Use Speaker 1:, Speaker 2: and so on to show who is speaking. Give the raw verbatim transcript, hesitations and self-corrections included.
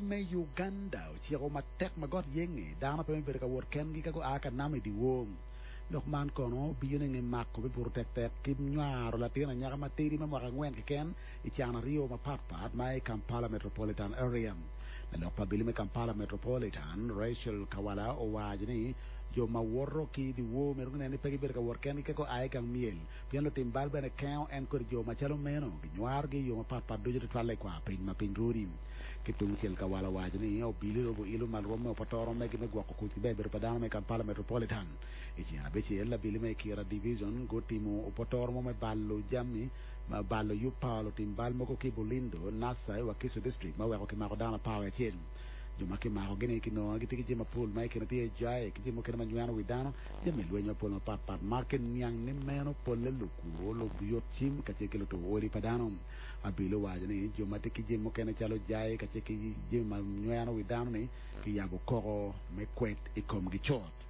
Speaker 1: me Uganda ociko matek ma got yenge dano pe me bedo ka wot kengi ka gua ka nam i dyewor lok man kono obino i nge mako me buto tektek ki nywaro latin anyaka matidi me mwaka angwen keken i can aryo mapatpat ma i Kampala Metropolitan Area lalok pa abili me Kampala Metropolitan Rachel Kawala owaco ni jo ma woto ki i dyewor myero guneno ni pe gibedo ka wot kengi ka gua i gang myel pien lutim bal bene kengo en kodi jo macalo meno ginywarogi i yo mapatpat ducu tutwalle i kwar piny ma piny runi ki tungcel Kawala owaco ni obili robo ilo malo rwom me opotoro megi me gwoko kuc ki ber bedo pa dano me Kampala Metropolitan i ceng abicel abili me Kira Division gutimo opotoro mo me balo jami ma balo yub pa lutim bal mogo ki Bulindo Nasa i Wakiso District ma weko kimako dano apar wiye acel jo ma kimako gini kinongo gitye ki jami mapol ma i kine tye jai ki jami mukene ma nyweno wi dano jami lweny mapol mapatpat ma kiniang ni meno polle lukwo luyut cim kacel ki lutuko odi pa dano abili owaco ni jo ma tye ki jami mukene calo jai kacel ki jami ma nyweno wi dano ni kiyabo koko me kwed i komgi cut.